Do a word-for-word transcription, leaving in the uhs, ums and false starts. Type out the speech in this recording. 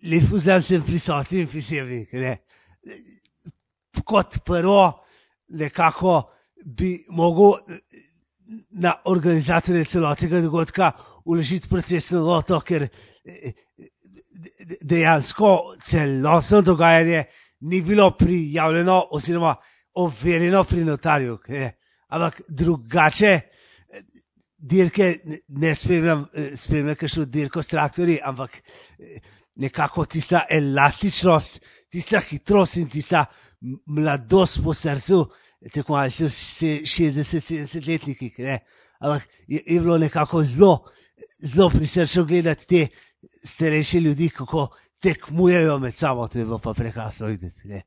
li fużam sem prisotni insieme, ne. Kot prvo, nekako bi mogel na organizatorje celotnega dogodka vložiti procesno noto, ker dejansko celotno dogajanje ni bilo prijavljeno oziroma overjeno pri notarju. Ne. Ampak drugače dirke ne spremljam, spremljam kakšno dirko s traktorji, ampak nekako tista elastičnost, tista hitrost in tista mladost po srcu, tekmovalci so šestdeset sedemdesetletniki, ne. Ampak je, je bilo nekako zelo, zelo prisrčno gledati te starejše ljudi, kako tekmujejo med sabo, to je bilo pa prekrasno videti, ne.